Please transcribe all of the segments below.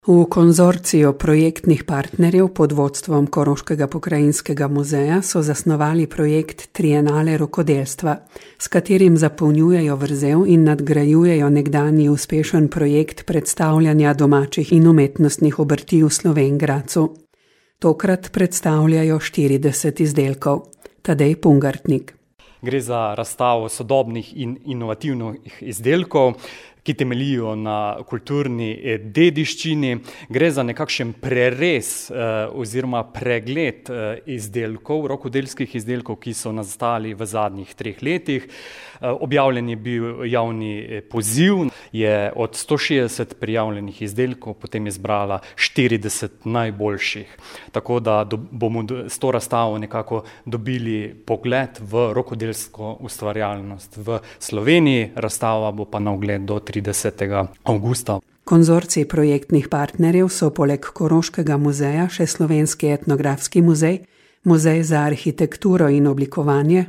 V konzorciju projektnih partnerjev pod vodstvom Koroškega pokrajinskega muzeja so zasnovali projekt Trienale rokodelstva, s katerim zapolnjujejo vrzel in nadgrajujejo nekdanji uspešen projekt predstavljanja domačih in umetnostnih obrti v Slovenj Gradcu. Tokrat predstavljajo 40 izdelkov. Tadej Pungartnik. Gre za razstavo sodobnih in inovativnih izdelkov, ki temeljijo na kulturni dediščini. Gre za nekakšen prerez oziroma pregled izdelkov, rokodelskih izdelkov, ki so nastali v zadnjih 3 letih. Objavljen je bil javni poziv, je od 160 prijavljenih izdelkov potem izbrala 40 najboljših. Tako da bomo s to razstavo nekako dobili pogled v rokodelsko ustvarjalnost v Sloveniji. Razstava bo pa na ogled do 30. avgusta. Konzorcij projektnih partnerjev so poleg Koroškega muzeja še Slovenski etnografski muzej, Muzej za arhitekturo in oblikovanje,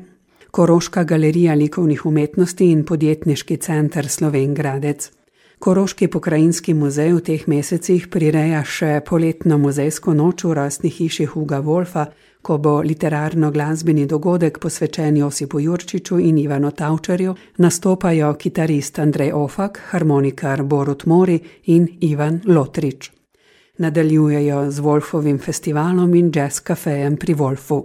Koroška galerija likovnih umetnosti in podjetniški center Slovenj Gradec. Koroški pokrajinski muzej v teh mesecih prireja še poletno muzejsko noč v rojstni hiši Huga Wolfa, ko bo literarno-glasbeni dogodek posvečen Josipu Jurčiču in Ivanu Tavčarju, nastopajo kitarist Andrej Ofak, harmonikar Borut Mori in Ivan Lotrič. Nadaljujejo z Wolfovim festivalom in jazz kafejem pri Wolfu.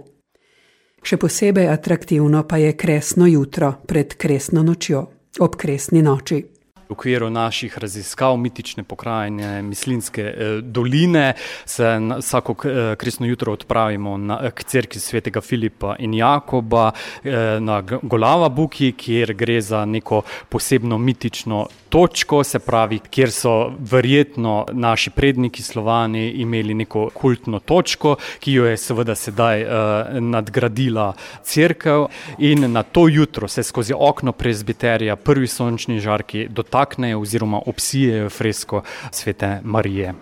Še posebej atraktivno pa je kresno jutro pred kresno nočjo, ob kresni noči. V okviru naših raziskav mitične pokrajine Mislinjske doline se vsako kresno jutro odpravimo k cerkvi svetega Filipa in Jakoba na Golava Buki, kjer gre za neko posebno mitično točko, se pravi, kjer so verjetno naši predniki Slovani imeli neko kultno točko, ki jo je seveda sedaj nadgradila cerkev, in na to jutro se skozi okno prezbiterja prvi sončni žarki dotaknejo oziroma obsijejo fresko Svete Marije.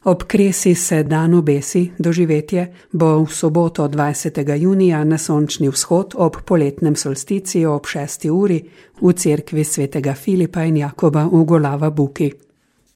Ob kresi se dan obesi, doživetje bo v soboto 20. junija na sončni vzhod ob poletnem solsticiju ob 6. uri v cerkvi svetega Filipa in Jakoba v Golava Buki.